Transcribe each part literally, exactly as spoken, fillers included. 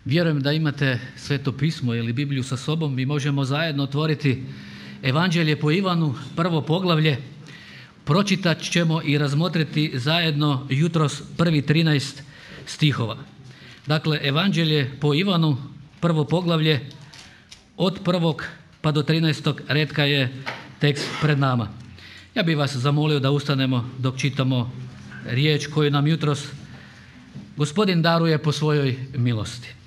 Vjerujem da imate Sveto pismo ili Bibliju sa sobom. Mi možemo zajedno otvoriti Evanđelje po Ivanu, prvo poglavlje. Pročitat ćemo i razmotriti zajedno jutros prvi trinaest stihova. Dakle, Evanđelje po Ivanu, prvo poglavlje, od prvog pa do trinaestog retka je tekst pred nama. Ja bih vas zamolio da ustanemo dok čitamo riječ koju nam jutros Gospodin daruje po svojoj milosti.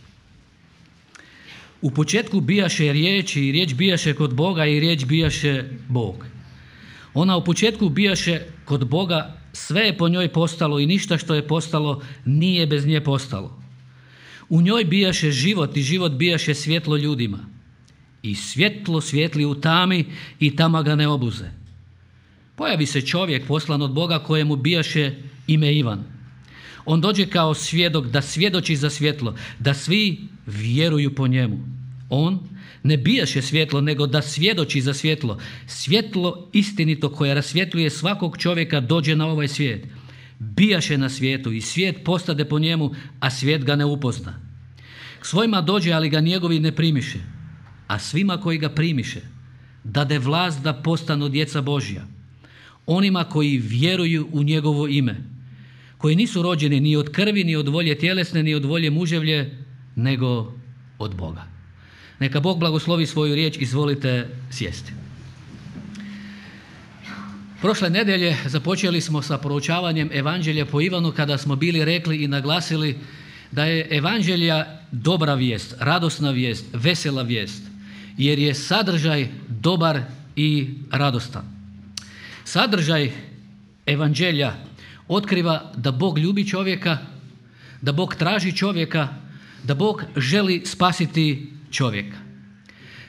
U početku bijaše riječ i riječ bijaše kod Boga i riječ bijaše Bog. Ona u početku bijaše kod Boga, sve je po njoj postalo i ništa što je postalo nije bez nje postalo. U njoj bijaše život i život bijaše svjetlo ljudima. I svjetlo svijetli u tami i tama ga ne obuze. Pojavi se čovjek poslan od Boga kojemu bijaše ime Ivan. On dođe kao svjedok da svjedoči za svjetlo, da svi vjeruju po njemu. On ne bijaše svjetlo, nego da svjedoči za svjetlo. Svjetlo istinito koje rasvjetljuje svakog čovjeka dođe na ovaj svijet. Bijaše na svijetu i svijet postade po njemu, a svijet ga ne upozna. K svojima dođe, ali ga njegovi ne primiše. A svima koji ga primiše, dade vlast da postanu djeca Božja. Onima koji vjeruju u njegovo ime, koji nisu rođeni ni od krvi, ni od volje tjelesne, ni od volje muževlje, nego od Boga. Neka Bog blagoslovi svoju riječ, izvolite sjesti. Prošle nedjelje započeli smo sa proučavanjem Evanđelja po Ivanu kada smo bili rekli i naglasili da je Evanđelja dobra vijest, radosna vijest, vesela vijest, jer je sadržaj dobar i radostan. Sadržaj Evanđelja otkriva da Bog ljubi čovjeka, da Bog traži čovjeka, da Bog želi spasiti čovjeka.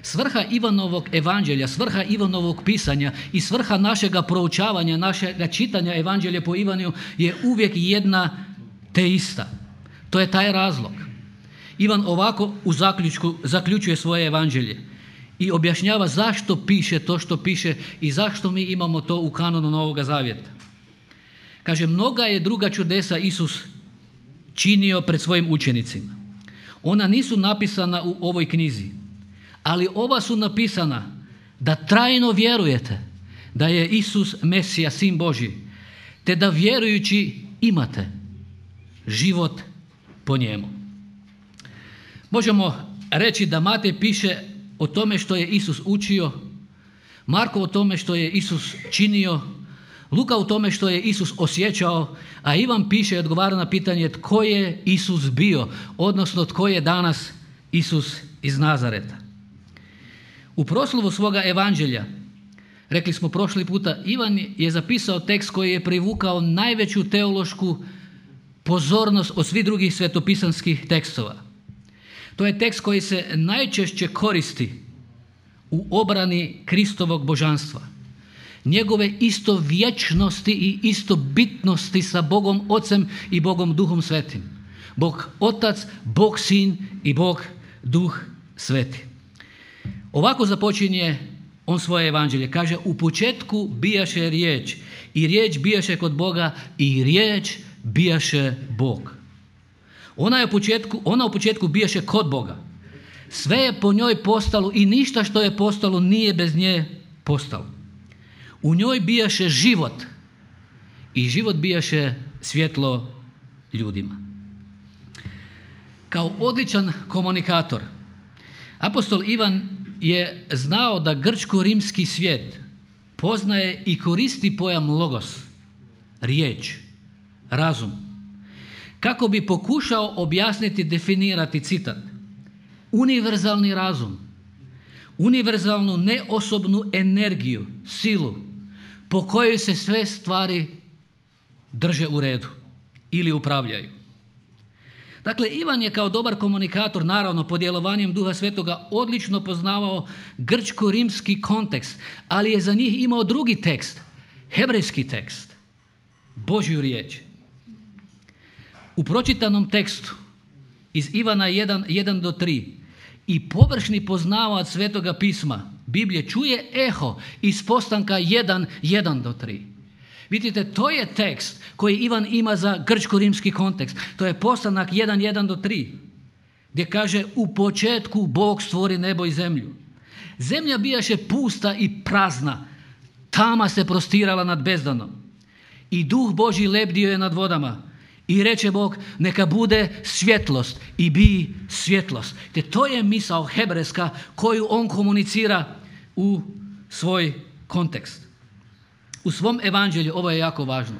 Svrha Ivanovog evanđelja, svrha Ivanovog pisanja i svrha našega proučavanja, našega čitanja Evanđelja po Ivanu je uvijek jedna te ista. To je taj razlog. Ivan ovako u zaključku zaključuje svoje evanđelje i objašnjava zašto piše to što piše i zašto mi imamo to u kanonu Novoga Zavjeta. Kaže, mnoga je druga čudesa Isus činio pred svojim učenicima. Ona nisu napisana u ovoj knjizi, ali ova su napisana da trajno vjerujete da je Isus Mesija, Sin Božji, te da vjerujući imate život po njemu. Možemo reći da Matej piše o tome što je Isus učio, Marko o tome što je Isus činio, Luka o tome što je Isus osjećao, a Ivan piše i odgovara na pitanje tko je Isus bio, odnosno tko je danas Isus iz Nazareta. U proslovu svoga evanđelja, rekli smo prošli puta, Ivan je zapisao tekst koji je privukao najveću teološku pozornost od svih drugih svetopisanskih tekstova. To je tekst koji se najčešće koristi u obrani Kristovog božanstva, njegove istovječnosti i istobitnosti sa Bogom Ocem i Bogom Duhom Svetim. Bog Otac, Bog Sin i Bog Duh Sveti. Ovako započinje on svoje evanđelje. Kaže, u početku bijaše riječ i riječ bijaše kod Boga i riječ bijaše Bog. Ona, je u početku, ona u početku bijaše kod Boga. Sve je po njoj postalo i ništa što je postalo nije bez nje postalo. U njoj bijaše život i život bijaše svjetlo ljudima. Kao odličan komunikator, apostol Ivan je znao da grčko-rimski svijet poznaje i koristi pojam logos, riječ, razum, kako bi pokušao objasniti, definirati, citat, univerzalni razum, univerzalnu neosobnu energiju, silu, po kojoj se sve stvari drže u redu ili upravljaju. Dakle, Ivan je kao dobar komunikator, naravno pod djelovanjem Duha Svetoga, odlično poznavao grčko-rimski kontekst, ali je za njih imao drugi tekst, hebrejski tekst, Božju riječ. U pročitanom tekstu iz Ivana jedan, jedan do tri i površni poznavac Svetoga pisma, Biblije, čuje eho iz postanka jedan, jedan do tri. Vidite, to je tekst koji Ivan ima za grčko-rimski kontekst. To je postanak jedan, jedan do tri. gdje kaže u početku Bog stvori nebo i zemlju. Zemlja bijaše pusta i prazna, tama se prostirala nad bezdanom i duh Božji lebdio je nad vodama. I reče Bog, neka bude svjetlost i bi svjetlost. Te to je misao hebrejska koju on komunicira u svoj kontekst. U svom evanđelju, ovo je jako važno,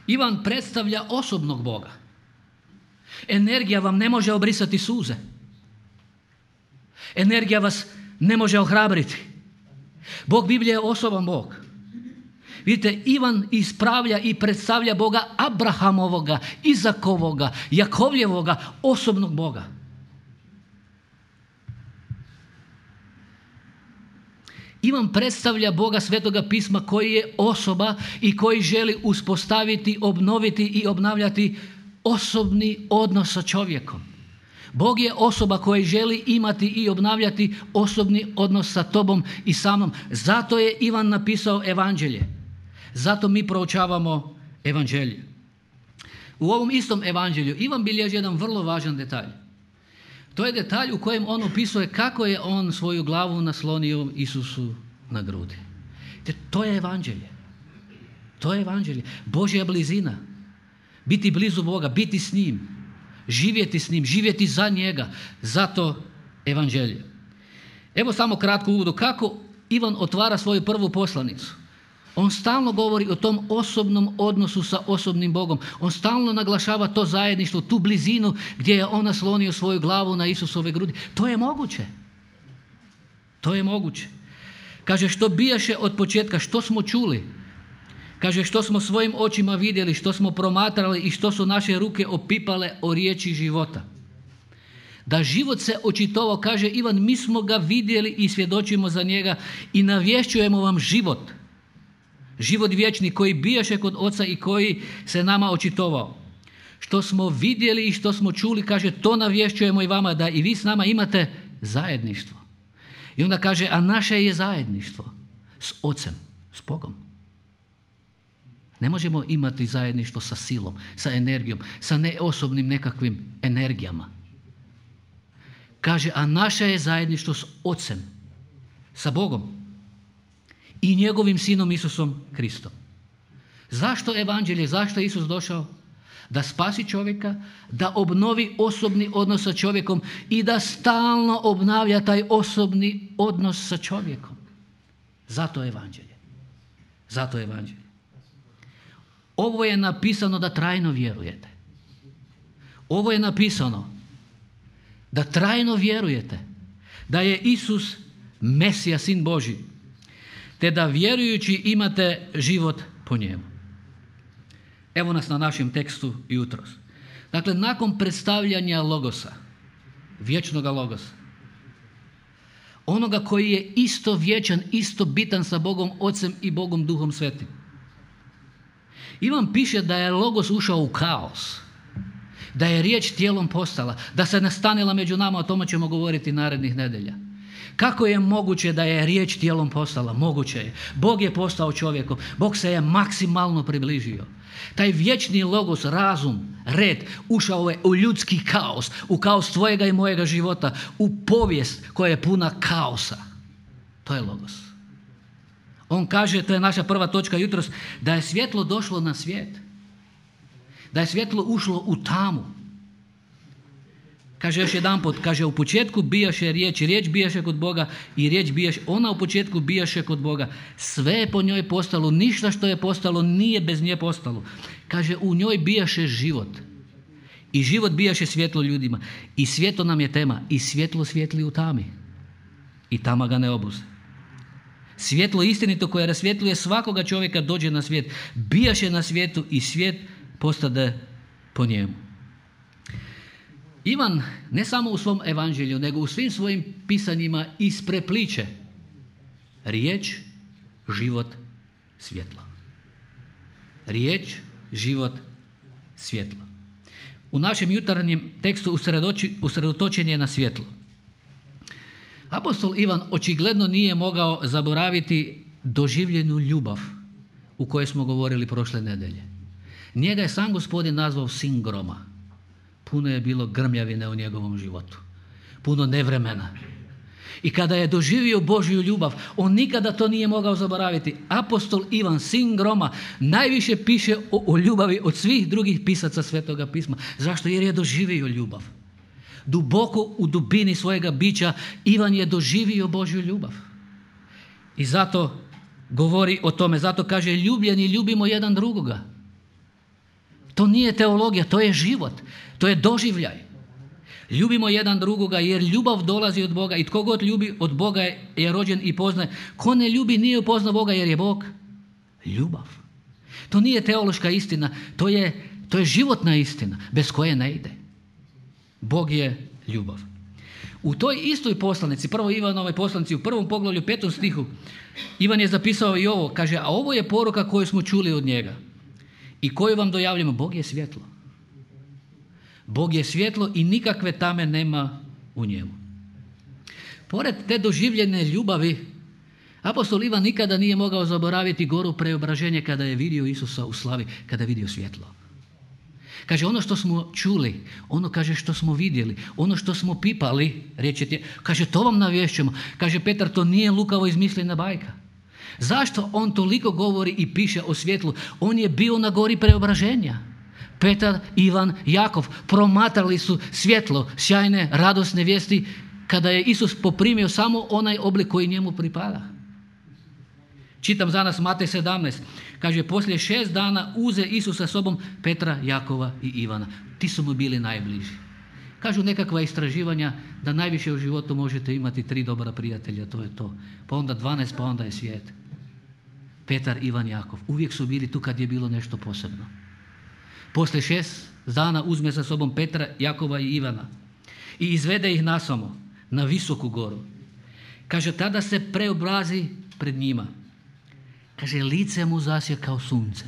Ivan predstavlja osobnog Boga. Energija vam ne može obrisati suze. Energija vas ne može ohrabriti. Bog Biblije je osoban Bog. Vidite, Ivan ispravlja i predstavlja Boga Abrahamovoga, Izakovoga, Jakovljevoga, osobnog Boga. Ivan predstavlja Boga Svetoga pisma koji je osoba i koji želi uspostaviti, obnoviti i obnavljati osobni odnos sa čovjekom. Bog je osoba koja želi imati i obnavljati osobni odnos sa tobom i sa mnom. Zato je Ivan napisao evanđelje. Zato mi proučavamo evanđelje. U ovom istom evanđelju Ivan bilježi jedan vrlo važan detalj. To je detalj u kojem on opisuje kako je on svoju glavu naslonio Isusu na grudi. Te to je evanđelje. To je evanđelje. Božja blizina. Biti blizu Boga, biti s njim. Živjeti s njim, živjeti za njega. Zato evanđelje. Evo samo kratko uvodu kako Ivan otvara svoju prvu poslanicu. On stalno govori o tom osobnom odnosu sa osobnim Bogom. On stalno naglašava to zajedništvo, tu blizinu gdje je on naslonio svoju glavu na Isusove grudi. To je moguće. To je moguće. Kaže, što bijaše od početka, što smo čuli. Kaže, što smo svojim očima vidjeli, što smo promatrali i što su naše ruke opipale o riječi života. Da život se očitovao, kaže Ivan, mi smo ga vidjeli i svjedočimo za njega i navješćujemo vam život. Život vječni koji bijaše kod Oca i koji se nama očitovao. Što smo vidjeli i što smo čuli, kaže, to navješćujemo i vama, da i vi s nama imate zajedništvo. I onda kaže, a naše je zajedništvo s Ocem, s Bogom. Ne možemo imati zajedništvo sa silom, sa energijom, sa neosobnim nekakvim energijama. Kaže, a naše je zajedništvo s Ocem, sa Bogom i njegovim sinom Isusom Kristom. Zašto evanđelje? Zašto je Isus došao? Da spasi čovjeka, da obnovi osobni odnos sa čovjekom i da stalno obnavlja taj osobni odnos sa čovjekom. Zato je evanđelje. Zato je evanđelje. Ovo je napisano da trajno vjerujete. Ovo je napisano da trajno vjerujete da je Isus Mesija, Sin Božji, te da vjerujući imate život po njemu. Evo nas na našem tekstu jutros. Dakle, nakon predstavljanja Logosa, vječnoga Logosa, onoga koji je isto vječan, isto bitan sa Bogom Ocem i Bogom Duhom Svetim, Ivan piše da je Logos ušao u kaos, da je riječ tijelom postala, da se nastanila među nama, o tome ćemo govoriti narednih nedelja. Kako je moguće da je riječ tijelom postala? Moguće je. Bog je postao čovjekom. Bog se je maksimalno približio. Taj vječni Logos, razum, red, ušao je u ljudski kaos, u kaos tvojega i mojega života, u povijest koja je puna kaosa. To je Logos. On kaže, to je naša prva točka jutros, da je svjetlo došlo na svijet. Da je svjetlo ušlo u tamu. Kaže još jedanput, kaže, u početku bijaše riječ, riječ bijaše kod Boga i riječ bijaše, ona u početku bijaše kod Boga. Sve je po njoj postalo, ništa što je postalo nije bez nje postalo. Kaže, u njoj bijaše život. I život bijaše svjetlo ljudima. I svjetlo nam je tema. I svjetlo svijetli u tami. I tama ga ne obuze. Svjetlo istinito koje rasvjetljuje svakoga čovjeka dođe na svijet. Bijaše na svijetu i svijet postade po njemu. Ivan ne samo u svom evanđelju, nego u svim svojim pisanjima isprepliče riječ, život, svjetlo. Riječ, život, svjetlo. U našem jutarnjem tekstu usredotočen je na svjetlo. Apostol Ivan očigledno nije mogao zaboraviti doživljenu ljubav u kojoj smo govorili prošle nedelje. Njega je sam Gospodin nazvao sin groma. puno je bilo grmljavine u njegovom životu. Puno nevremena. I kada je doživio Božju ljubav, on nikada to nije mogao zaboraviti. Apostol Ivan, sin groma, najviše piše o, o ljubavi od svih drugih pisaca Svetoga pisma. Zašto? Jer je doživio ljubav. Duboko u dubini svojega bića Ivan je doživio Božju ljubav. I zato govori o tome, zato kaže ljubljeni, ljubimo jedan drugoga. To nije teologija, to je život, to je doživljaj. Ljubimo jedan drugoga jer ljubav dolazi od Boga i tko god ljubi od Boga je, je rođen i poznaje. Ko ne ljubi nije upoznao Boga jer je Bog ljubav. To nije teološka istina, to je, to je životna istina bez koje ne ide. Bog je ljubav. U toj istoj poslanici, prvo Ivanovoj poslanici, u prvom poglavlju, petom stihu, Ivan je zapisao i ovo, kaže, a ovo je poruka koju smo čuli od njega i koju vam dojavljamo, Bog je svjetlo. Bog je svjetlo i nikakve tame nema u njemu. Pored te doživljene ljubavi, apostol Ivan nikada nije mogao zaboraviti goru preobraženje kada je vidio Isusa u slavi, kada je vidio svjetlo. Kaže, ono što smo čuli, ono kaže što smo vidjeli, ono što smo pipali, reći, kaže, to vam navješćujemo. Kaže Petar, to nije lukavo izmišljena bajka. Zašto on toliko govori i piše o svjetlu? On je bio na gori preobraženja. Petar, Ivan, Jakov promatrali su svjetlo, sjajne, radosne vijesti kada je Isus poprimio samo onaj oblik koji njemu pripada. Čitam za nas Matej sedamnaest. Kaže, poslije šest dana uze Isus sa sobom Petra, Jakova i Ivana. Ti su mu bili najbliži. Kažu nekakva istraživanja da najviše u životu možete imati tri dobra prijatelja, to je to. Pa onda dvanaest, pa onda je svijet. Petar, Ivan, Jakov. Uvijek su bili tu kad je bilo nešto posebno. Poslije šest dana uzme sa sobom Petra, Jakova i Ivana i izvede ih nasamo na visoku goru. Kaže, tada se preobrazi pred njima. Kaže, lice mu zasje kao sunce.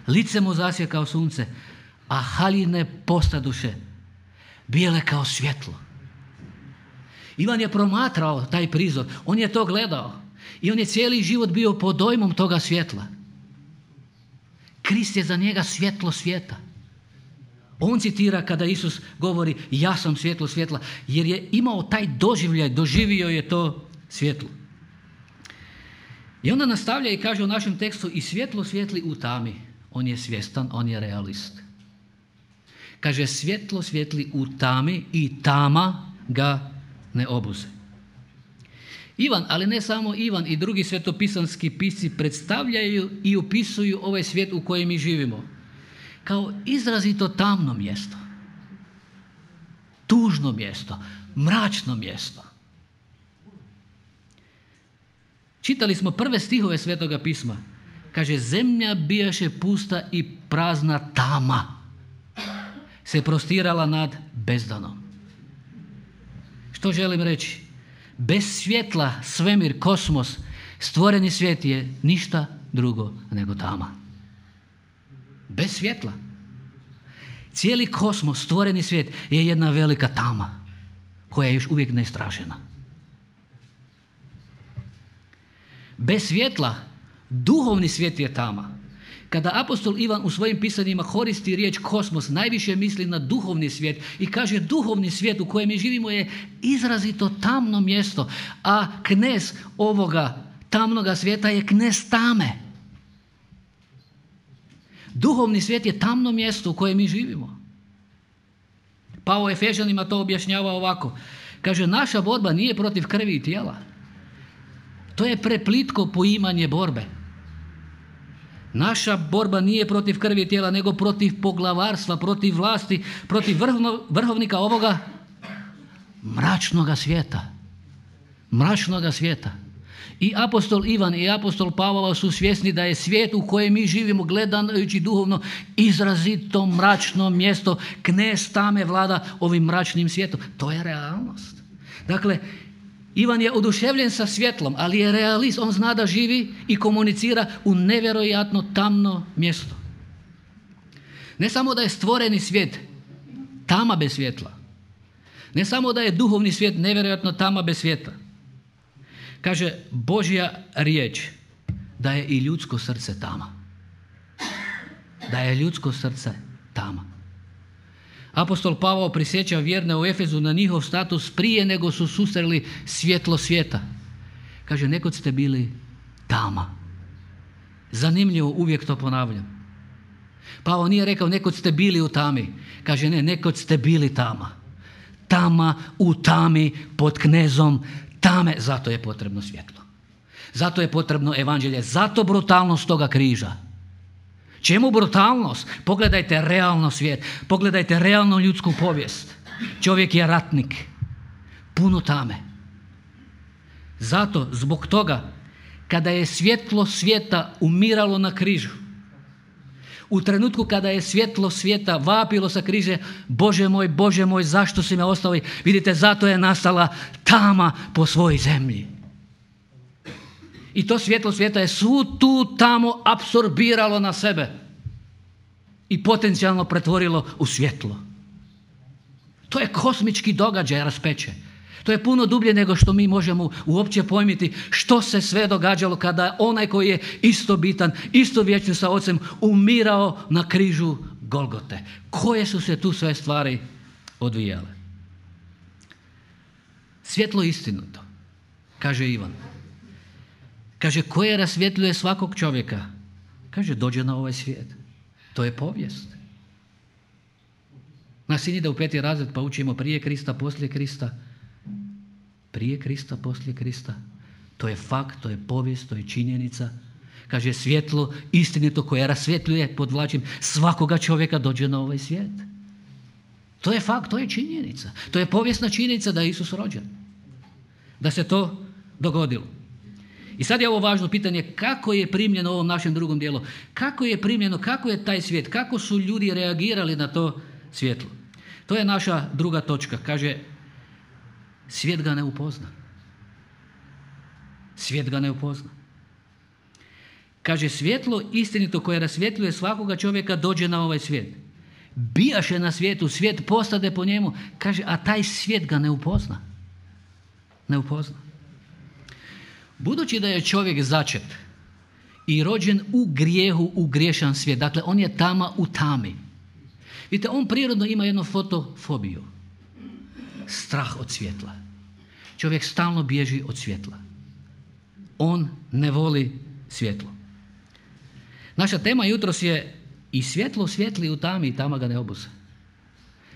Lice mu zasje kao sunce, a haljine postaduše bijele kao svjetlo. Ivan je promatrao taj prizor, on je to gledao i on je cijeli život bio pod dojmom toga svjetla. Krist je za njega svjetlo svijeta. On citira kada Isus govori, ja sam svjetlo svjetla, jer je imao taj doživljaj, doživio je to svjetlo. I onda nastavlja i kaže u našem tekstu, i svjetlo svijetli u tami. On je svjestan, on je realist. Kaže, svjetlo svijetli u tami i tama ga ne obuze. Ivan, ali ne samo Ivan, i drugi svetopisanski pisci predstavljaju i opisuju ovaj svijet u kojem mi živimo kao izrazito tamno mjesto, tužno mjesto, mračno mjesto. Čitali smo prve stihove Svetoga pisma. Kaže, zemlja bijaše pusta i prazna tama se prostirala nad bezdanom. Što želim reći? Bez svjetla, svemir, kosmos, stvoreni svijet je ništa drugo nego tama. Bez svjetla. Cijeli kosmos, stvoreni svijet je jedna velika tama koja je još uvijek neistražena. Bez svjetla, duhovni svijet je tama. Kada apostol Ivan u svojim pisanjima koristi riječ kosmos, najviše misli na duhovni svijet i kaže, duhovni svijet u kojem mi živimo je izrazito tamno mjesto, a knez ovoga tamnoga svijeta je knez tame. Duhovni svijet je tamno mjesto u kojem mi živimo. Pavao Efežanima to objašnjava ovako. Kaže, naša borba nije protiv krvi i tijela. To je preplitko poimanje borbe. Naša borba nije protiv krvi i tijela, nego protiv poglavarstva, protiv vlasti, protiv vrhovno, vrhovnika ovoga mračnoga svijeta. Mračnoga svijeta. I apostol Ivan i apostol Pavao su svjesni da je svijet u kojem mi živimo, gledajući duhovno, izrazito mračno mjesto. Knez tame vlada ovim mračnim svijetom. To je realnost. Dakle, Ivan je oduševljen sa svjetlom, ali je realist. On zna da živi i komunicira u nevjerojatno tamno mjesto. Ne samo da je stvoreni svijet tama bez svjetla. Ne samo da je duhovni svijet nevjerojatno tama bez svjetla. Kaže Božja riječ da je i ljudsko srce tama. Da je ljudsko srce tama. Apostol Pavao prisjeća vjerne u Efezu na njihov status prije nego su susreli svjetlo svijeta. Kaže, nekad ste bili tama. Zanimljivo, uvijek to ponavljam. Pavao nije rekao nekad ste bili u tami. Kaže, ne, nekad ste bili tama. Tama u tami pod knezom tame. Zato je potrebno svjetlo. Zato je potrebno evanđelje. Zato brutalnost toga križa. Čemu brutalnost? Pogledajte realno svijet. Pogledajte realno ljudsku povijest. Čovjek je ratnik. Puno tame. Zato, zbog toga, kada je svjetlo svijeta umiralo na križu, u trenutku kada je svjetlo svijeta vapilo sa križe, Bože moj, Bože moj, zašto si me ostavio? Vidite, zato je nastala tama po svojoj zemlji. I to svjetlo svijeta je svu tu tamo apsorbiralo na sebe i potencijalno pretvorilo u svjetlo. To je kosmički događaj raspeće. To je puno dublje nego što mi možemo uopće pojmiti što se sve događalo kada onaj koji je isto bitan, isto vječni sa Ocem, umirao na križu Golgote. Koje su se tu sve stvari odvijale? Svjetlo istinito, kaže Ivan. Kaže, koje rasvjetljuje svakog čovjeka? Kaže, dođe na ovaj svijet. To je povijest. Naš sin ide u peti razred pa učimo prije Krista, poslije Krista. Prije Krista, poslije Krista. To je fakt, to je povijest, to je činjenica. Kaže, svjetlo istinito koje rasvjetljuje, podvlačim, svakoga čovjeka dođe na ovaj svijet. To je fakt, to je činjenica. To je povijesna činjenica da je Isus rođen. Da se to dogodilo. I sad je ovo važno pitanje, kako je primljeno u ovom našem drugom dijelu? Kako je primljeno, kako je taj svijet, kako su ljudi reagirali na to svjetlo? To je naša druga točka. Kaže, svijet ga ne upozna. Svijet ga ne upozna. Kaže, svjetlo istinito koje rasvjetljuje svakoga čovjeka dođe na ovaj svijet. Bijaše na svijetu, svijet postade po njemu. Kaže, a taj svijet ga ne upozna. Ne upozna. Budući da je čovjek začet i rođen u grijehu, u griješan svijet, dakle on je tama u tami. Vidite, on prirodno ima jednu fotofobiju. Strah od svjetla. Čovjek stalno bježi od svjetla. On ne voli svjetlo. Naša tema jutros je i svjetlo svijetli u tami i tama ga ne obuze.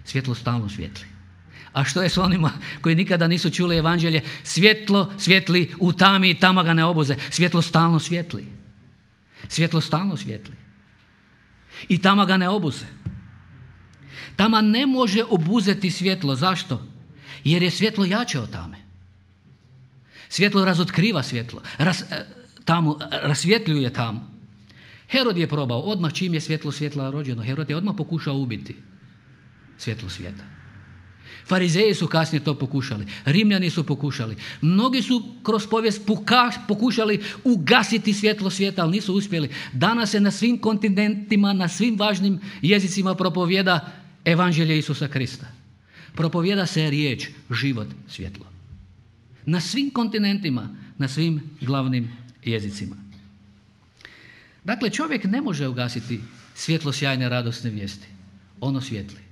Svjetlo stalno svijetli. A što je s onima koji nikada nisu čuli evanđelje? Svjetlo svijetli u tami i tama ga ne obuze. Svjetlo stalno svijetli. Svjetlo stalno svijetli. I tama ga ne obuze. Tama ne može obuzeti svjetlo. Zašto? Jer je svjetlo jače od tame. Svjetlo razotkriva svjetlo. Ras, tamu, rasvjetljuje tamu. Herod je probao, odmah čim je svjetlo svjetla rođeno, Herod je odmah pokušao ubiti svjetlo svijeta. Farizeji su kasnije to pokušali, Rimljani su pokušali, mnogi su kroz povijest pokušali ugasiti svjetlo svijeta, ali nisu uspjeli. Danas se na svim kontinentima, na svim važnim jezicima propovjeda evanđelje Isusa Krista. Propovjeda se riječ, život, svjetlo. Na svim kontinentima, na svim glavnim jezicima. Dakle, čovjek ne može ugasiti svjetlo sjajne radosne vijesti. Ono svijetli.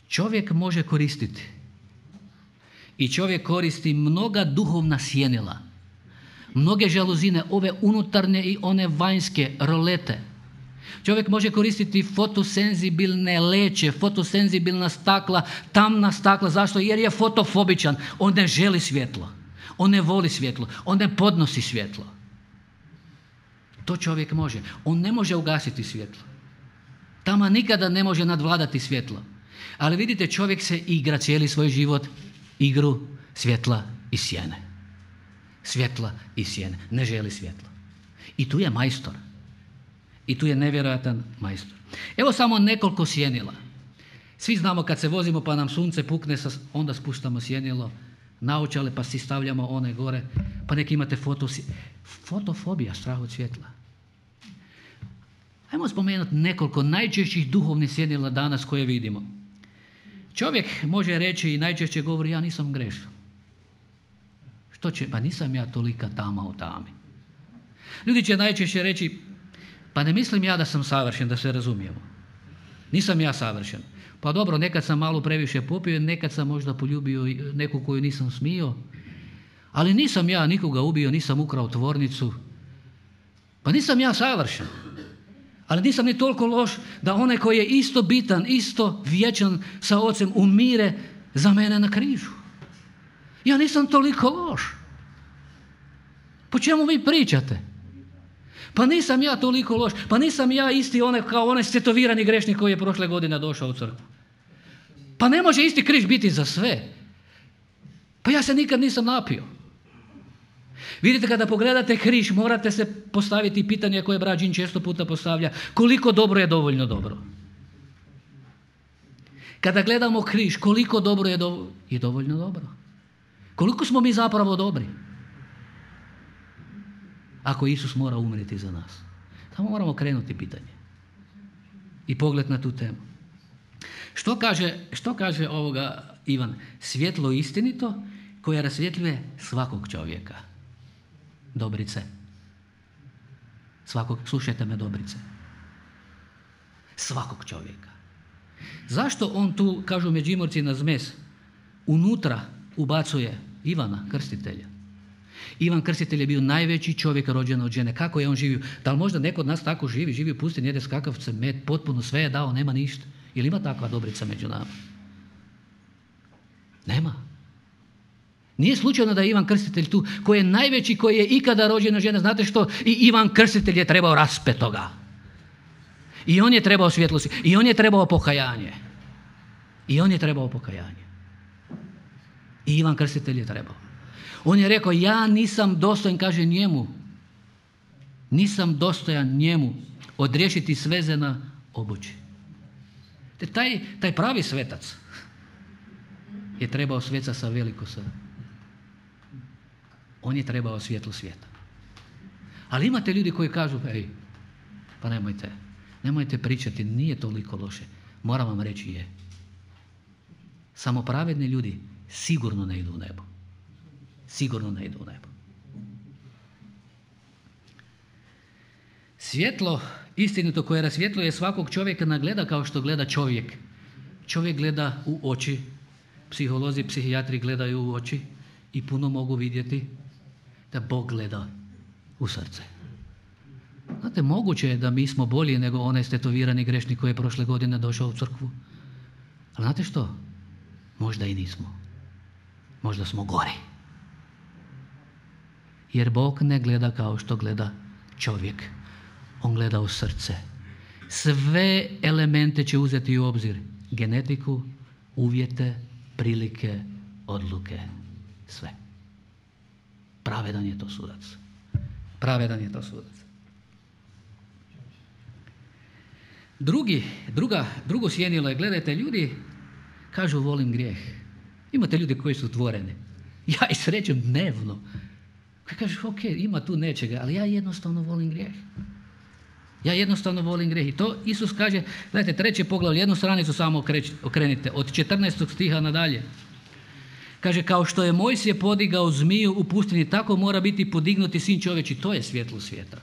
Čovjek može koristiti. I čovjek koristi mnoga duhovna sjenila. Mnoge žaluzine, ove unutarnje i one vanjske rolete. Čovjek može koristiti fotosenzibilne leće, fotosenzibilna stakla, tamna stakla. Zašto? Jer je fotofobičan. On ne želi svjetlo. On ne voli svjetlo. On ne podnosi svjetlo. To čovjek može. On ne može ugasiti svjetlo. Tama nikada ne može nadvladati svjetlo. Ali vidite, čovjek se igra cijeli svoj život igru svjetla i sjene. Svjetla i sjene. Ne želi svjetlo. I tu je majstor. I tu je nevjerojatan majstor. Evo samo nekoliko sjenila. Svi znamo kad se vozimo pa nam sunce pukne, onda spuštamo sjenilo, naočale pa si stavljamo one gore, pa neki imate foto, fotofobija, strah od svjetla. Ajmo spomenuti nekoliko najčešćih duhovnih sjenila danas koje vidimo. Čovjek može reći i najčešće govori, ja nisam grešan. Što će? Pa nisam ja tolika tama u tami. Ljudi će najčešće reći, pa ne mislim ja da sam savršen, da se razumijemo. Nisam ja savršen. Pa dobro, nekad sam malo previše popio, nekad sam možda poljubio neku koju nisam smio, ali nisam ja nikoga ubio, nisam ukrao tvornicu. Pa nisam ja savršen. Ali nisam ni toliko loš da onaj koji je isto bitan, isto vječan sa Ocem umire za mene na križu. Ja nisam toliko loš. Po čemu vi pričate? Pa nisam ja toliko loš. Pa nisam ja isti onaj kao onaj stetovirani grešnik koji je prošle godine došao u crkvu. Pa ne može isti križ biti za sve. Pa ja se nikad nisam napio. Vidite, kada pogledate križ, morate se postaviti pitanje koje Brađin često puta postavlja. Koliko dobro je dovoljno dobro? Kada gledamo križ, koliko dobro je, do... je dovoljno dobro? Koliko smo mi zapravo dobri? Ako Isus mora umrijeti za nas. Samo moramo krenuti pitanje. I pogled na tu temu. Što kaže, što kaže ovoga Ivan? Svjetlo istinito koje rasvjetljuje svakog čovjeka. Dobrice. Svakog, slušajte me, Dobrice. Svakog čovjeka. Zašto on tu, kažu Međimurci na zmes, unutra ubacuje Ivana Krstitelja? Ivan Krstitelj je bio najveći čovjek rođen od žene. Kako je on živio? Da li možda neko od nas tako živi? Živi u pustinji, jede skakavce, med, potpuno sve je dao, nema ništa. Ili ima takva Dobrica među nama? Nema. Nije slučajno da je Ivan Krstitelj tu, koji je najveći, koji je ikada rođen od žene. Znate što? I Ivan Krstitelj je trebao raspetoga. I on je trebao svjetlosti. I on je trebao pokajanje. I on je trebao pokajanje. I Ivan Krstitelj je trebao. On je rekao, ja nisam dostojan, kaže njemu, nisam dostojan njemu odriješiti sveze na obući. Te taj, taj pravi svetac je trebao sveca sa veliko sa. On je trebao svjetlo svijeta. Ali imate ljudi koji kažu, ej, pa nemojte, nemojte pričati, nije toliko loše. Moram vam reći je. Samo pravedni ljudi sigurno ne idu u nebo. Sigurno ne idu u nebo. Svjetlo istinito koje rasvjetljuje svakog čovjeka ne gleda kao što gleda čovjek. Čovjek gleda u oči. Psiholozi, psihijatri gledaju u oči i puno mogu vidjeti da Bog gleda u srce. Znate, moguće je da mi smo bolji nego onaj stetovirani grešnik koji je prošle godine došao u crkvu. Ali znate što? Možda i nismo. Možda smo gori. Jer Bog ne gleda kao što gleda čovjek. On gleda u srce. Sve elemente će uzeti u obzir. Genetiku, uvjete, prilike, odluke. Sve. Pravedan je to sudac. Pravedan je to sudac. Drugi, druga, drugo sjenilo je, gledajte, ljudi kažu volim grijeh. Imate ljudi koji su tvoreni. Ja ih srećem dnevno. Koji kažu, ok, ima tu nečega, ali ja jednostavno volim grijeh. Ja jednostavno volim grijeh. I to Isus kaže, gledajte, treće poglavlje, jednu stranicu samo okrenite, od četrnaestog stiha nadalje. Kaže, kao što je Mojsije podigao zmiju u pustinji, tako mora biti podignuti sin čovječi. To je svjetlo svijeta.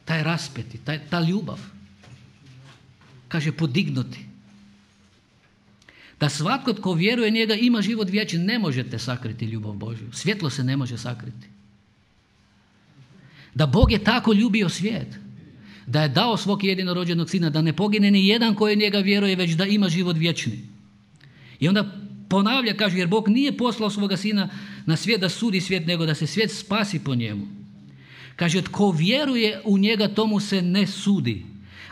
Taj raspeti, taj, ta ljubav. Kaže, podignuti. Da svatko tko vjeruje njega ima život vječni. Ne možete sakriti ljubav Božju. Svjetlo se ne može sakriti. Da Bog je tako ljubio svijet, da je dao svog jedinorođenog sina, da ne pogine ni jedan koji njega vjeruje, već da ima život vječni. I onda ponavlja, kaže, jer Bog nije poslao svoga sina na svijet da sudi svijet, nego da se svijet spasi po njemu. Kaže, tko vjeruje u njega, tomu se ne sudi.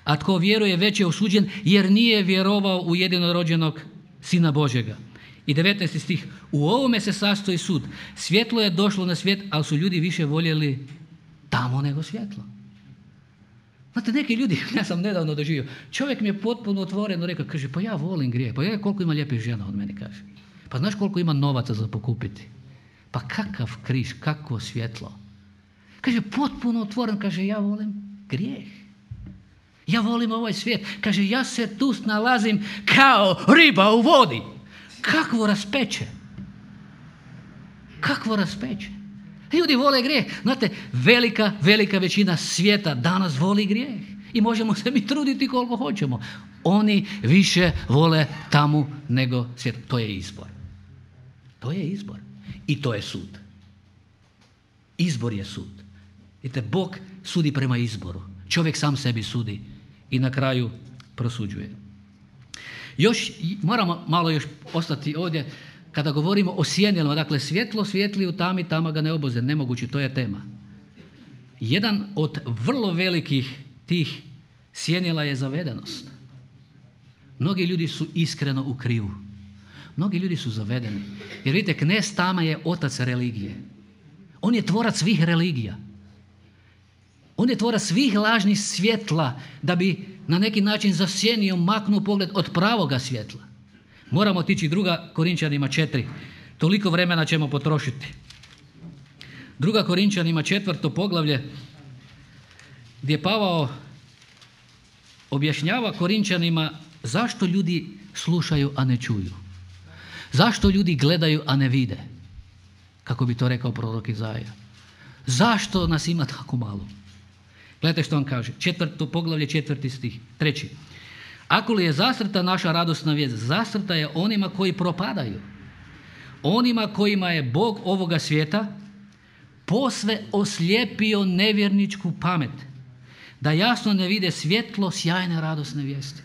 A tko vjeruje, već je osuđen, jer nije vjerovao u jedinorođenog Sina Božjega. I devetnaesti stih. U ovome se sastoji sud. Svjetlo je došlo na svijet, ali su ljudi više voljeli tamo nego svjetlo. Znate, neki ljudi, ja sam nedavno doživio, čovjek mi je potpuno otvoreno rekao, kaže, pa ja volim grijeh, pa ja koliko ima lijepih žena od meni, kaže. Pa znaš koliko ima novaca za pokupiti? Pa kakav križ, kakvo svjetlo. Kaže, potpuno otvoren, kaže, ja volim grijeh. Ja volim ovaj svijet. Kaže, ja se tu snalazim kao riba u vodi. Kakvo raspeće. Kakvo raspeće. Ljudi vole grijeh. Znate, velika, velika većina svijeta danas voli grijeh. I možemo se mi truditi koliko hoćemo. Oni više vole tamu nego svjetlo. To je izbor. To je izbor. I to je sud. Izbor je sud. Vidite, Bog sudi prema izboru. Čovjek sam sebi sudi i na kraju prosuđuje. Još moramo malo još ostati ovdje kada govorimo o sjenilima. Dakle, svjetlo svijetli u tami, tama ga ne oboze. Nemoguće, to je tema. Jedan od vrlo velikih tih sjenila je zavedenost. Mnogi ljudi su iskreno u krivu. Mnogi ljudi su zavedeni. Jer vidite, knez tama je otac religije. On je tvorac svih religija. On je tvorac svih lažnih svjetla da bi na neki način zasjenio, maknuo pogled od pravoga svjetla. Moramo otići druga Korinčanima četiri. Toliko vremena ćemo potrošiti. Druga Korinčanima četvrto poglavlje gdje Pavao objašnjava Korinčanima zašto ljudi slušaju, a ne čuju. Zašto ljudi gledaju, a ne vide? Kako bi to rekao prorok Izaja. Zašto nas ima tako malo? Gledajte što on kaže. Četvrto poglavlje, četvrti stih. Treći. Ako li je zasrta naša radosna vijest, zasrta je onima koji propadaju. Onima kojima je Bog ovoga svijeta posve oslijepio nevjerničku pamet, da jasno ne vide svjetlo sjajne radosne vijesti.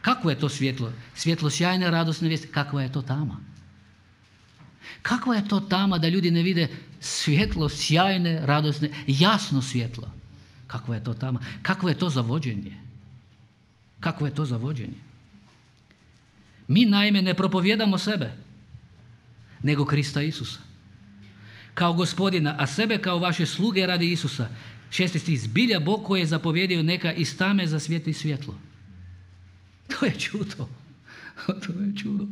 Kakvo je to svjetlo? Svjetlo sjajne radosne vijesti. Kakva je to tama? Kakva je to tama da ljudi ne vide svjetlo sjajne radosne, jasno svjetlo? Kakva je to tama? Kakvo je to zavođenje? Kakvo je to zavođenje? Mi naime ne propovjedamo sebe, nego Krista Isusa kao gospodina, a sebe kao vaše sluge radi Isusa. Šesti stih. Zbilja Bog koji je zapovjedio neka iz tame zasvijetli svjetlo. To je čudo. To je čudo.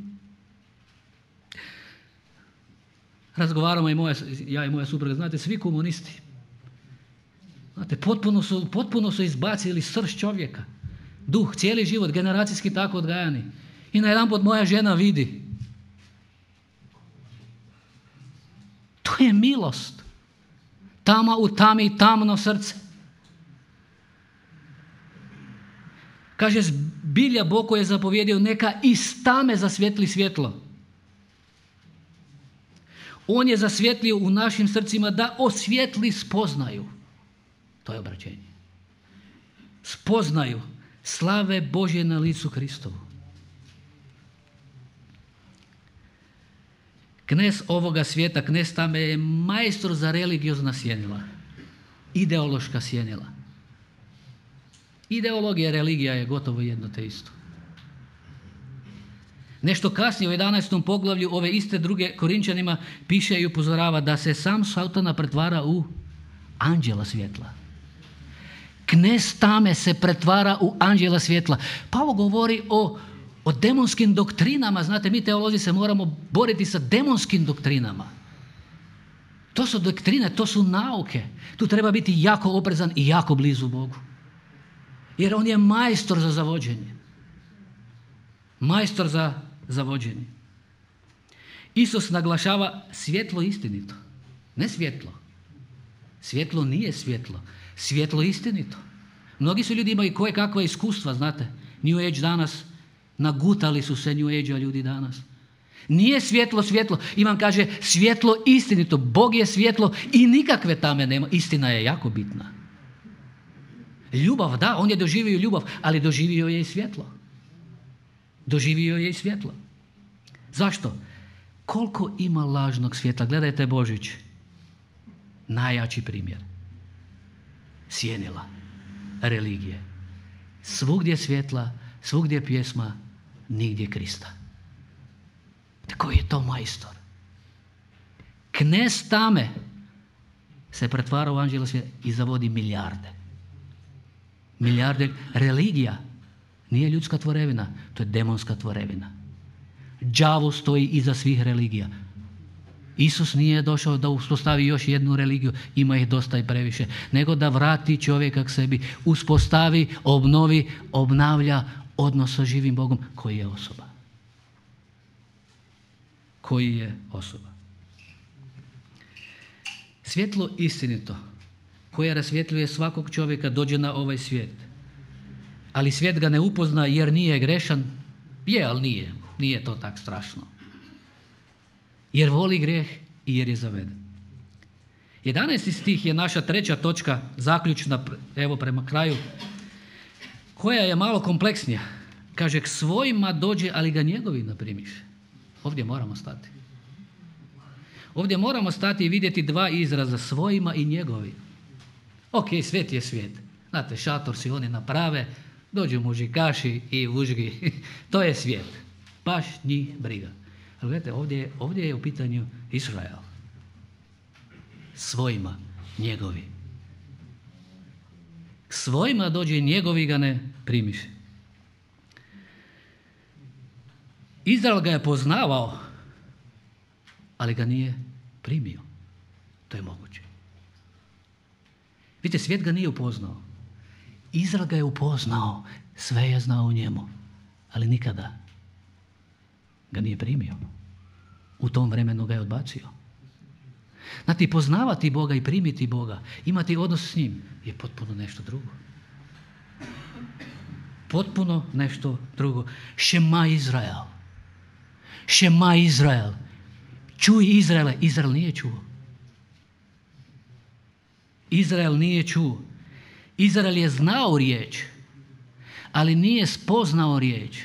Razgovaramo i moja, ja i moja supruga, znate, svi komunisti. Znate, potpuno su, potpuno su izbacili srž čovjeka. Duh, cijeli život, generacijski tako odgajani. I najedanput moja žena vidi. To je milost. Tama u tami, tamno srce. Kaže, zbilja Bog koji je zapovjedio neka iz tame zasvijetli svjetlo. On je zasvjetlio u našim srcima da osvijetli spoznaju. To je obraćenje. Spoznaju slave Božje na licu Kristovu. Knez ovoga svijeta, knez tame je majstor za religiozna sjenila. Ideološka sjenila. Ideologija, religija je gotovo jedno te isto. Nešto kasnije u jedanaestom poglavlju ove iste druge Korinčanima piše i upozorava da se sam Satana pretvara u anđela svjetla. Knez tame se pretvara u anđela svjetla. Pavao govori o, o demonskim doktrinama. Znate, mi teolozi se moramo boriti sa demonskim doktrinama. To su doktrine, to su nauke. Tu treba biti jako oprezan i jako blizu Bogu. Jer on je majstor za zavođenje. Majstor za zavođenje. Isus naglašava svjetlo istinito. Ne svjetlo. Svjetlo nije svjetlo. Svjetlo istinito. Mnogi su ljudi imaju koje kakva iskustva, znate. New Age danas, nagutali su se New Age-a ljudi danas. Nije svjetlo svjetlo. Ivan kaže svjetlo istinito. Bog je svjetlo i nikakve tame nema. Istina je jako bitna. Ljubav, da, on je doživio ljubav, ali doživio je i svjetlo. Doživio je i svjetlo. Zašto? Koliko ima lažnog svjetla? Gledajte Božić. Najjači primjer. Sjenila. Religije. Svugdje svjetla, svugdje pjesma, nigdje Krista. Koji je to majstor? Knez tame se pretvara u anđela svjetla i zavodi milijarde. Milijarde. Religija nije ljudska tvorevina, to je demonska tvorevina. Đavo stoji iza svih religija. Isus nije došao da uspostavi još jednu religiju, ima ih dosta i previše, nego da vrati čovjeka k sebi, uspostavi, obnovi, obnavlja odnos sa živim Bogom koji je osoba. Koji je osoba. Svjetlo istinito koje rasvjetljuje svakog čovjeka dođe na ovaj svijet. ali svijet ga ne upozna jer nije grešan. Je, ali nije. Nije to tak strašno. Jer voli grijeh i jer je zaveden. jedanaesti stih je naša treća točka, zaključna, evo prema kraju, koja je malo kompleksnija. Kaže, k svojima dođe, ali ga njegovi ne primiše. Ovdje moramo stati. Ovdje moramo stati i vidjeti dva izraza, svojima i njegovi. Ok, svijet je svijet. Znate, šator si oni naprave, dođu mužikaši i vužgi. To je svijet. Baš njih briga. Ali gledajte, ovdje, ovdje je u pitanju Izrael. Svojima, njegovi. K svojima dođe, njegovi ga ne primiše. Izrael ga je poznavao, ali ga nije primio. To je moguće. Vidite, svijet ga nije upoznao. Izrael ga je upoznao, sve je znao u njemu, ali nikada ga nije primio. U tom vremenu ga je odbacio. Znate, poznavati Boga i primiti Boga, imati odnos s njim, je potpuno nešto drugo. Potpuno nešto drugo. Šema Izrael. Šema Izrael. Čuj Izraele. Izrael nije čuo. Izrael nije čuo. Izrael je znao riječ, ali nije spoznao riječ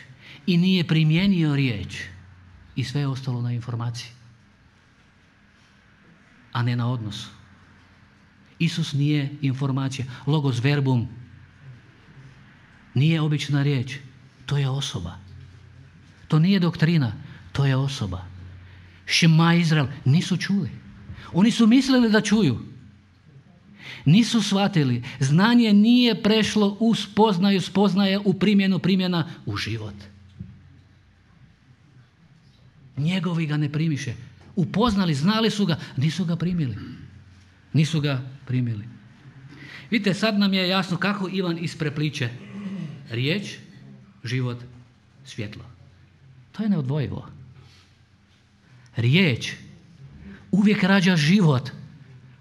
i nije primijenio riječ. I sve je ostalo na informaciji, a ne na odnosu. Isus nije informacija. Logos verbum nije obična riječ. To je osoba. To nije doktrina. To je osoba. Šema Izrael. Nisu čuli. Oni su mislili da čuju. Nisu shvatili. Znanje nije prešlo u spoznaju, spoznaje, u primjenu, primjena, u život. Njegovi ga ne primiše. Upoznali, znali su ga, nisu ga primili. Nisu ga primili. Vidite, sad nam je jasno kako Ivan isprepliče riječ, život, svjetlo. To je neodvojivo. Riječ uvijek rađa život,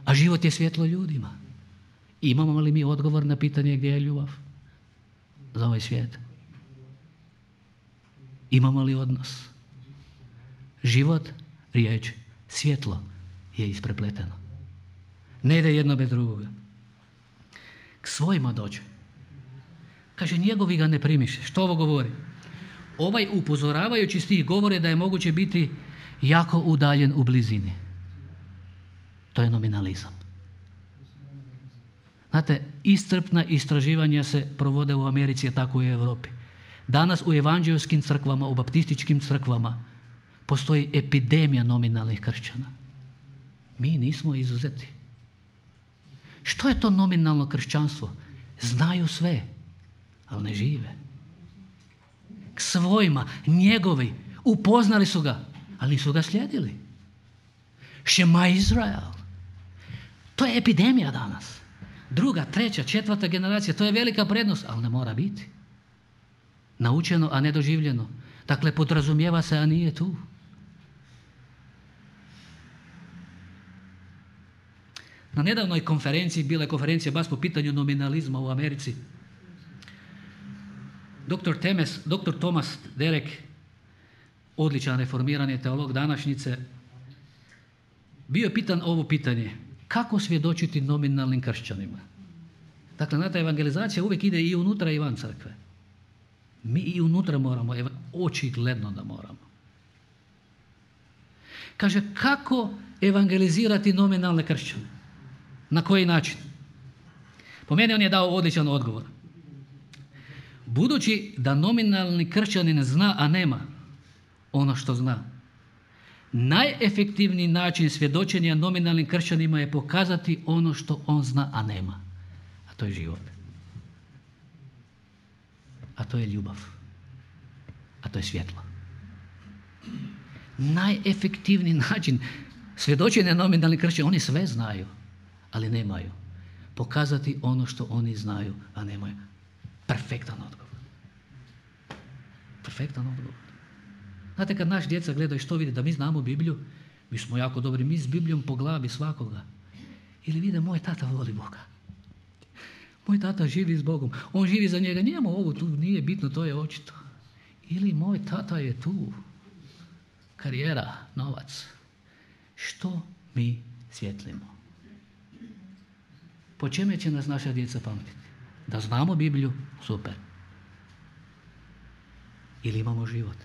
a život je svjetlo ljudima. Imamo li mi odgovor na pitanje gdje je ljubav za ovaj svijet? Imamo li odnos? Život, riječ, svjetlo je isprepleteno. Ne ide jedno bez drugoga. K svojima dođe. Kaže, njegovi ga ne primiše. Što ovo govori? Ovaj upozoravajući stih govore da je moguće biti jako udaljen u blizini. To je nominalizam. Znate, iscrpna istraživanja se provode u Americi, a tako i u Europi. Danas u evanđelskim crkvama, u baptističkim crkvama postoji epidemija nominalnih kršćana. Mi nismo izuzeti. Što je to nominalno kršćanstvo? Znaju sve, ali ne žive. K svojima, njegovi, upoznali su ga, ali nisu ga slijedili. Šema Izrael. To je epidemija danas. Druga, treća, četvrta generacija, to je velika prednost, ali ne mora biti. Naučeno, a ne doživljeno. Dakle, podrazumijeva se, a nije tu. Na nedavnoj konferenciji, bila je konferencija baš po pitanju nominalizma u Americi. Doktor Temes, doktor Thomas Derek, odličan reformirani teolog današnjice, bio je pitan ovo pitanje. Kako svjedočiti nominalnim kršćanima? Dakle, znate, evangelizacija uvijek ide i unutra i van crkve. Mi i unutra moramo, očigledno da moramo. Kaže, kako evangelizirati nominalne kršćane? Na koji način? Po meni on je dao odličan odgovor. Budući da nominalni kršćanin zna, a nema ono što zna, najefektivniji način svjedočenja nominalnim kršćanima je pokazati ono što on zna, a nema. A to je život. A to je ljubav. A to je svjetlo. Najefektivniji način svjedočenja nominalnih kršćana, oni sve znaju, ali nemaju. Pokazati ono što oni znaju, a nemaju. Perfektan odgovor. Perfektan odgovor. Znate, kad naš djeca gledaju što vide, da mi znamo Bibliju, mi smo jako dobri, mi s Biblijom po glavi svakoga. Ili vide, moj tata voli Boga. Moj tata živi s Bogom. On živi za njega. Njemu ovo tu nije bitno, to je očito. Ili moj tata je tu. Karijera, novac. Što mi svjetlimo? Po čeme će nas naša djeca pamtiti? Da znamo Bibliju? Super. Ili imamo život?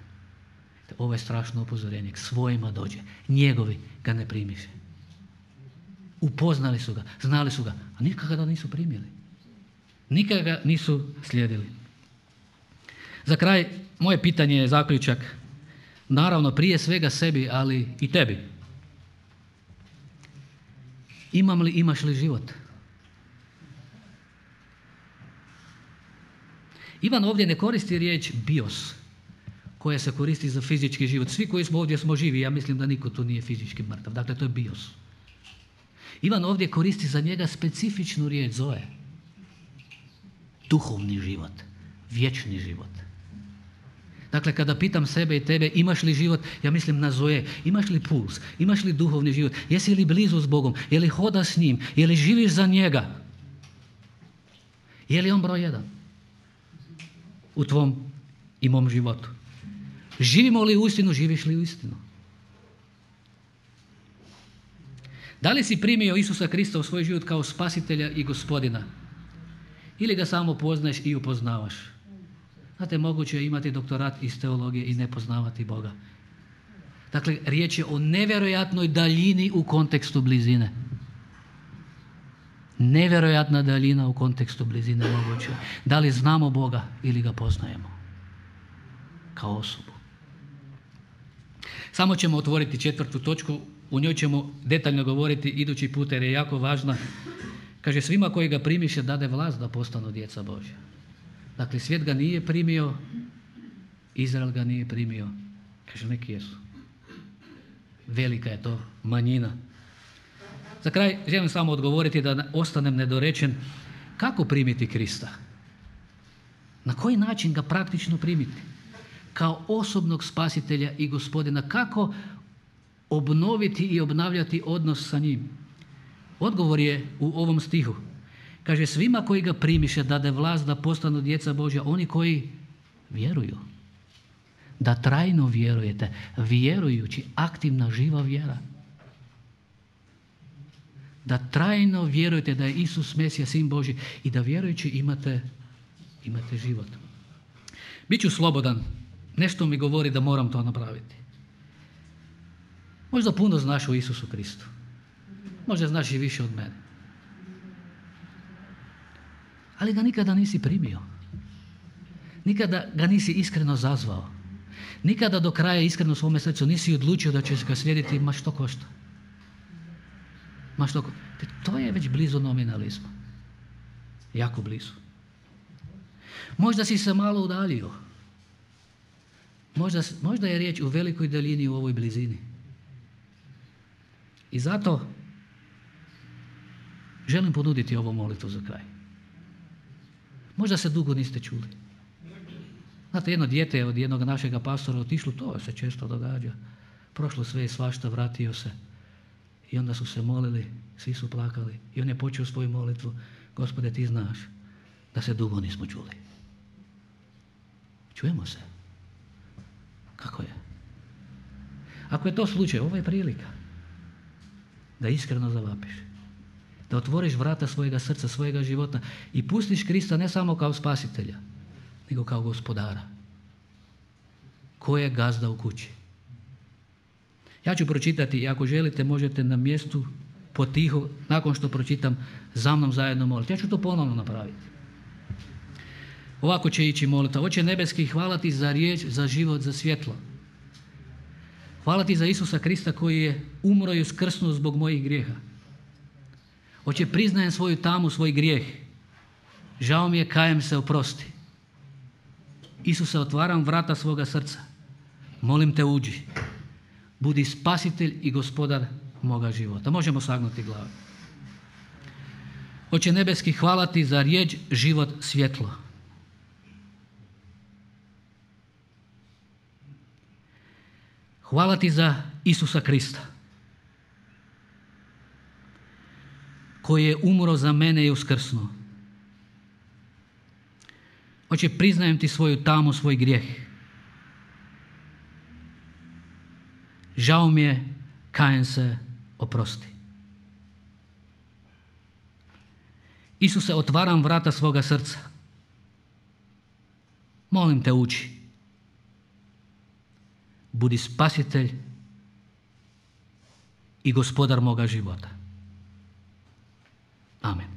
Ovo je strašno upozorenje. K svojima dođe. Njegovi ga ne primiše. Upoznali su ga, znali su ga, a nikada ga nisu primili. Nikada ga nisu slijedili. Za kraj, moje pitanje je zaključak. Naravno, prije svega sebi, ali i tebi. Imam li, imaš li život? Ivan ovdje ne koristi riječ bios, koja se koristi za fizički život. Svi koji smo ovdje smo živi, ja mislim da niko tu nije fizički mrtav. Dakle, to je bios. Ivan ovdje koristi za njega specifičnu riječ, zoe. Duhovni život, vječni život. Dakle, kada pitam sebe i tebe, imaš li život, ja mislim na zoe. Imaš li puls, imaš li duhovni život, jesi li blizu s Bogom, je li hodaš s njim, je li živiš za njega? Je li on broj jedan u tvom i mom životu? Živimo li u istinu, živiš li u istinu? Da li si primio Isusa Krista u svoj život kao spasitelja i gospodina? Ili ga samo poznaješ i upoznavaš? Znate, moguće je imati doktorat iz teologije i ne poznavati Boga. Dakle, riječ je o nevjerojatnoj daljini u kontekstu blizine. Nevjerojatna daljina u kontekstu blizine moguće. Da li znamo Boga ili ga poznajemo kao osobu? Samo ćemo otvoriti četvrtu točku, u njoj ćemo detaljno govoriti idući put jer je jako važna. Kaže, svima koji ga primiše dade vlast da postanu djeca Božja. Dakle, svijet ga nije primio, Izrael ga nije primio. Kaže, neki jesu. Velika je to manjina. Za kraj želim samo odgovoriti da ostanem nedorečen. Kako primiti Krista? Na koji način ga praktično primiti? Kao osobnog spasitelja i gospodina. Kako obnoviti i obnavljati odnos sa njim? Odgovor je u ovom stihu. Kaže, svima koji ga primiše dade vlast da postanu djeca Božja, oni koji vjeruju. Da trajno vjerujete, vjerujući, aktivna, živa vjera. Da trajno vjerujete da je Isus Mesija, Sin Božji i da vjerujući imate, imate život. Biću slobodan. Nešto mi govori da moram to napraviti. Možda puno znaš o Isusu Kristu. Možda znaš i više od mene. Ali ga nikada nisi primio. Nikada ga nisi iskreno zazvao. Nikada do kraja iskreno u svome srcu nisi odlučio da ćeš ga slijediti, ma što košta. Ma što košta. To je već blizu nominalizma. Jako blizu. Možda si se malo udaljio. Možda, možda je riječ u velikoj daljini u ovoj blizini. I zato želim ponuditi ovu molitvu za kraj. Možda se dugo niste čuli. Znate, jedno dijete je od jednog našega pastora otišlo, to se često događa. Prošlo sve i svašta, vratio se. I onda su se molili, svi su plakali. I on je počeo svoju molitvu. Gospode, ti znaš da se dugo nismo čuli. Čujemo se. Kako je? Ako je to slučaj, ovo je prilika da iskreno zavapiš. Da otvoriš vrata svojega srca, svojega života i pustiš Krista ne samo kao spasitelja, nego kao gospodara. Ko je gazda u kući? Ja ću pročitati i ako želite možete na mjestu potiho, nakon što pročitam, za mnom zajedno moliti. Ja ću to ponovno napraviti. Ovako će ići molitva. Oče nebeski, hvala ti za riječ, za život, za svjetlo. Hvala ti za Isusa Krista koji je umro i uskrsnuo zbog mojih grijeha. Oče, priznajem svoju tamu, svoj grijeh. Žao mi je, kajem se, oprosti. Isuse, otvaram vrata svoga srca. Molim te, uđi. Budi spasitelj i gospodar moga života. Možemo sagnuti glavu. Oče nebeski, hvala ti za riječ, život, svjetlo. Hvala ti za Isusa Krista, koji je umro za mene i uskrsnuo. Oče, priznajem ti svoju tamu, svoj grijeh. Žao mi je, kajem se, oprosti. Isuse, otvaram vrata svoga srca. Molim te, uči. Budi spasitelj i gospodar moga života. Amen.